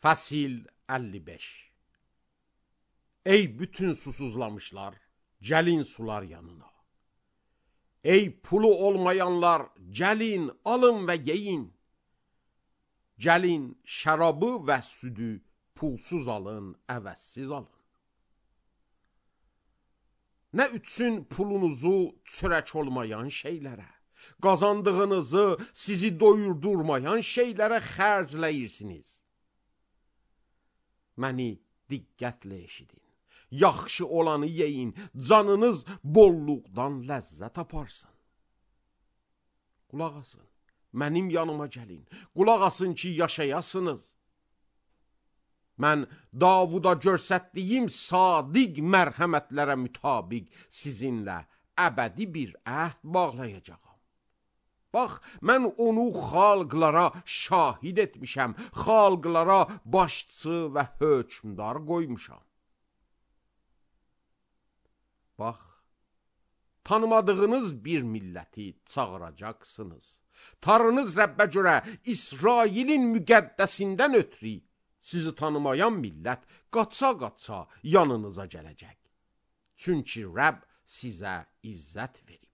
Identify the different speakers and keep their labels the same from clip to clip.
Speaker 1: Fəsil 55. Ey bütün susuzlamışlar, gəlin sular yanına. Ey pulu olmayanlar, gəlin, alın və yeyin. Gəlin, şərabı və südü pulsuz alın, əvəzsiz alın. Nə üçün pulunuzu çörək olmayan şeylərə, qazandığınızı sizi doyurdurmayan şeylərə xərcləyirsiniz? Məni diqqətlə eşidin. Yaxşı olanı yeyin, canınız bolluqdan ləzzət aparsın. Qulaq asın, mənim yanıma gəlin. Qulaq asın ki, yaşayasınız. Mən Davuda göstərdiyim sadiq mərhəmətlərə mütabiq sizinlə əbədi bir əhd bağlayacağam. Bax, mən onu xalqlara şahid etmişəm, xalqlara başçı və hökmdar qoymuşam. Bax, tanımadığınız bir milləti çağıracaqsınız. Tanrınız Rəbbə görə İsrailin müqəddəsindən ötürü sizi tanımayan millət qaça-qaça yanınıza gələcək. Çünki Rəbb sizə izzət verib.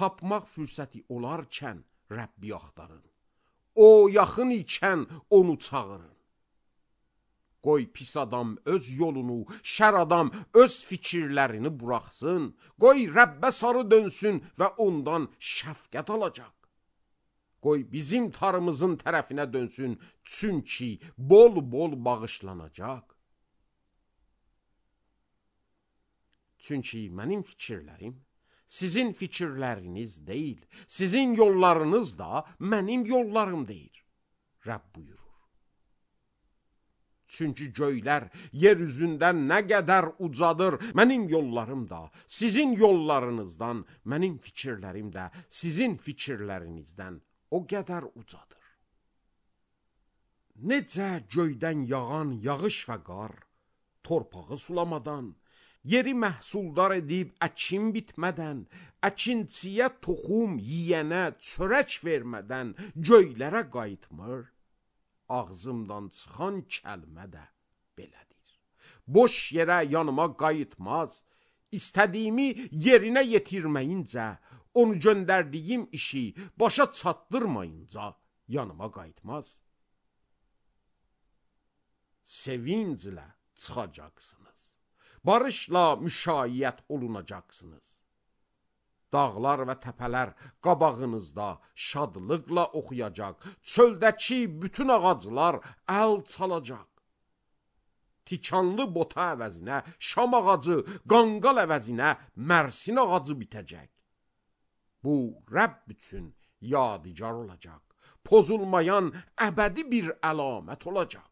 Speaker 1: Tapmaq fürsəti olarkən Rəbbi axtarın. O yaxın ikən onu çağırın. Qoy pis adam öz yolunu, şər adam öz fikirlərini buraxsın. Qoy Rəbbə sarı dönsün və ondan şəfqət alacaq. Qoy bizim tarımızın tərəfinə dönsün, çünki bol-bol bağışlanacaq. Çünki mənim fikirlərim sizin fikirləriniz deyil, sizin yollarınız da mənim yollarım deyil. Rəbb buyurur. Çünki göylər yer üzündən nə qədər ucadır, mənim yollarım da, sizin yollarınızdan, mənim fikirlərim də, sizin fikirlərinizdən o qədər ucadır. Necə göydən yağan yağış və qar, torpağı sulamadan, yeri məhsuldar edib əkin bitmədən, əkinçiyə toxum, yiyənə çörək vermədən göylərə qayıtmır, ağzımdan çıxan kəlmə də belədir. Boş yerə yanıma qayıtmaz, istədiyimi yerinə yetirməyincə, onu göndərdiyim işi başa çatdırmayınca yanıma qayıtmaz. Sevinclə çıxacaqsınız. Barışla müşayiət olunacaqsınız. Dağlar və təpələr qabağınızda şadlıqla oxuyacaq. Çöldəki bütün ağaclar əl çalacaq. Tikanlı bota əvəzinə şam ağacı, qanqal əvəzinə mərsin ağacı bitəcək. Bu, Rəbb üçün yadigar olacaq. Pozulmayan əbədi bir əlamət olacaq.